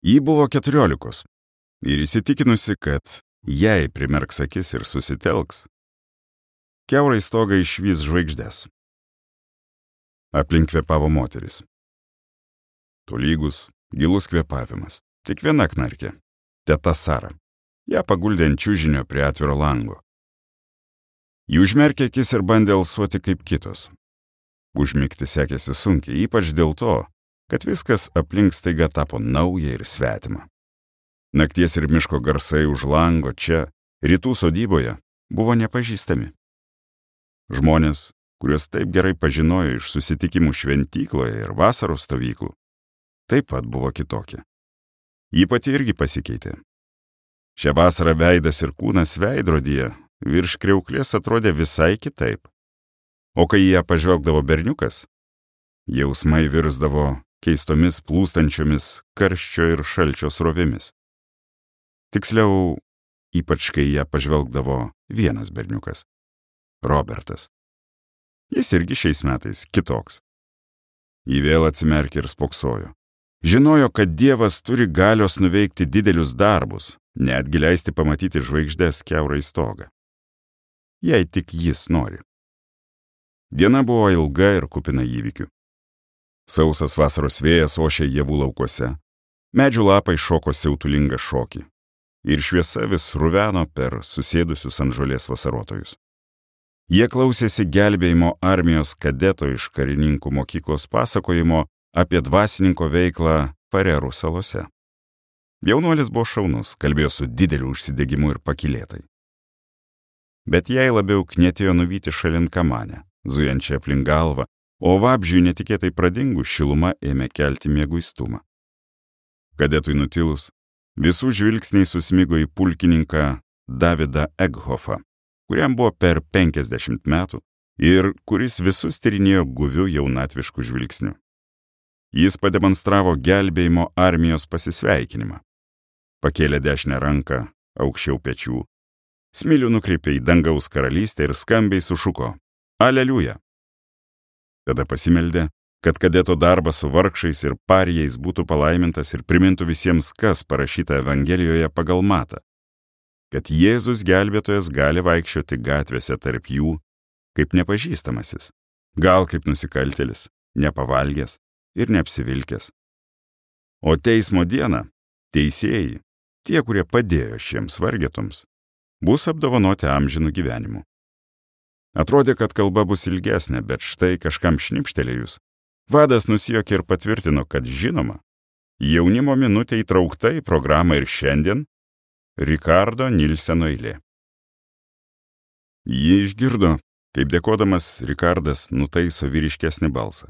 Ji buvo 14 ir įsitikinusi, kad jei primerks akis ir susitelks, kiaurai stogą išvys žvaigždės. Aplink kvėpavo moteris. Tolygus, gilus kvėpavimas. Tik viena knarkė. Teta Sara. Ją paguldė ant čiužinio prie atviro lango. Ji užmerkė akis ir bandė alsuoti kaip kitos. Užmigti sekėsi sunkiai, ypač dėl to, kad viskas aplink staiga tapo nauja ir svetima. Nakties ir miško garsai už lango čia, rytų sodyboje, buvo nepažįstami. Žmonės, kuriuos taip gerai pažinojo iš susitikimų šventykloje ir vasaros stovyklų, taip pat buvo kitokie. Ji pati irgi pasikeitė. Šią vasarą veidas ir kūnas veidrodyje virš kriauklės atrodė visai kitaip. O kai ją pažvelgdavo berniukas, jausmai virsdavo keistomis plūstančiomis karščio ir šalčio srovėmis. Tiksliau, ypač kai ją pažvelgdavo vienas berniukas – Robertas. Jis irgi šiais metais kitoks. Ji vėl atsimerkė ir spoksojo. Žinojo, kad Dievas turi galios nuveikti didelius darbus, netgi leisti pamatyti žvaigždės kiaurai stogą. Jei tik jis nori. Diena buvo ilga ir kupina įvykių. Sausas vasaros vėjas ošė javų laukuose, medžių lapai šoko siautulingą šokį ir šviesa vis ruveno per susėdusius ant žolės vasarotojus. Jie klausėsi gelbėjimo armijos kadeto iš karininkų mokyklos pasakojimo apie dvasininko veiklą Farerų salose. Jaunuolis buvo šaunus, kalbėjo su dideliu užsidegimu ir pakylėtai. Bet jai labiau knietėjo nuvyti šalin kamanę, zujančią aplink galvą, o vabzdžiui netikėtai pradingus šiluma ėmė kelti mieguistumą. Kadetui nutilus, visų žvilgsniai susmigo į pulkininką Davidą Eghofą, kuriam buvo per 50 metų ir kuris visus tyrinėjo guviu jaunatvišku žvilgsniu. Jis pademonstravo gelbėjimo armijos pasisveikinimą. Pakėlė dešinę ranką aukščiau pečių, smilių nukreipė į dangaus karalystę ir skambiai sušuko Aleliuja. Tada pasimeldė, kad kadeto darbas su vargšais ir parijais būtų palaimintas ir primintų visiems, kas parašyta Evangelijoje pagal Matą, kad Jėzus gelbėtojas gali vaikščioti gatvėse tarp jų kaip nepažįstamasis, gal kaip nusikaltėlis, nepavalgęs ir neapsivilkęs. O teismo dieną teisėjai, tie, kurie padėjo šiems vargetoms, bus apdovanoti amžinu gyvenimu. Atrodė, kad kalba bus ilgesnė, bet štai kažkam šnipštelėjus, vadas nusijuokė ir patvirtino, kad žinoma, jaunimo minutė įtraukta į programą ir šiandien Rikardo Nilseno eilė. Ji išgirdo, kaip dėkodamas Rikardas nutaiso vyriškesnį balsą.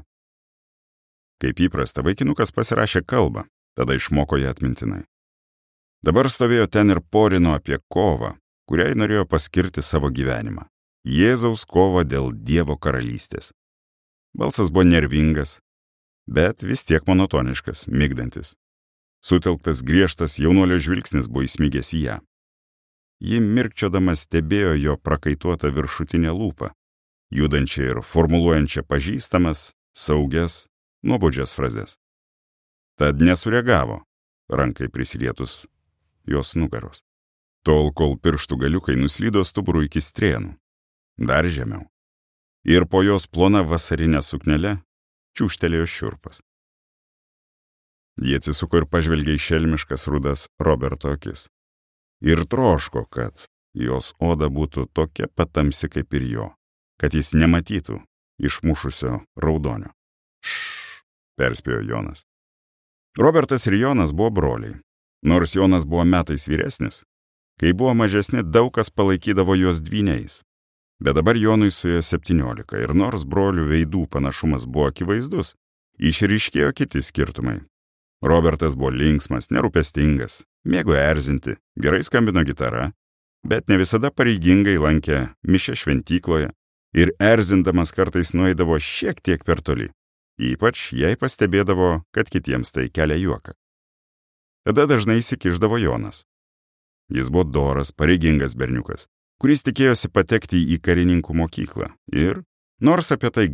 Kaip įprasta, vaikinukas pasirašė kalbą, tada išmoko ją atmintinai. Dabar stovėjo ten ir porino apie kovą, kuriai norėjo paskirti savo gyvenimą. Jėzaus kovą dėl Dievo karalystės. Balsas buvo nervingas, bet vis tiek monotoniškas, migdantis. Sutelktas griežtas jaunuolio žvilgsnis buvo įsmigęs į ją. Ji mirkčiodama stebėjo jo prakaituotą viršutinę lūpą, judančią ir formuluojančią pažįstamas, saugias, nuobodžias frazes. Tad nesureagavo, rankai prisilietus jos nugaros. Tol, kol pirštų galiukai nuslydo stuburu iki strėnų, dar žemiau. Ir po jos plona vasarinė suknelė čiūžtelėjo šiurpas. Jie atsisuko ir pažvelgė į šelmiškas rudas Roberto akis. Ir troško, kad jos oda būtų tokia patamsi kaip ir jo, kad jis nematytų išmušusio raudonio. Šš, perspėjo Jonas. Robertas ir Jonas buvo broliai. Nors Jonas buvo metais vyresnis, kai buvo mažesni, daug kas palaikydavo juos dvyniais. Bet dabar Jonui suėjo 17 ir nors brolių veidų panašumas buvo akivaizdus, išryškėjo kiti skirtumai. Robertas buvo linksmas, nerūpestingas, mėgo erzinti, gerai skambino gitara, bet ne visada pareigingai lankė mišią šventykloje ir erzindamas kartais nueidavo šiek tiek per toli, ypač jei pastebėdavo, kad kitiems tai kelia juoką. Tada dažnai įsikišdavo Jonas. Jis buvo doras, pareigingas berniukas, kuris tikėjosi patekti į karininkų mokyklą ir, nors apie tai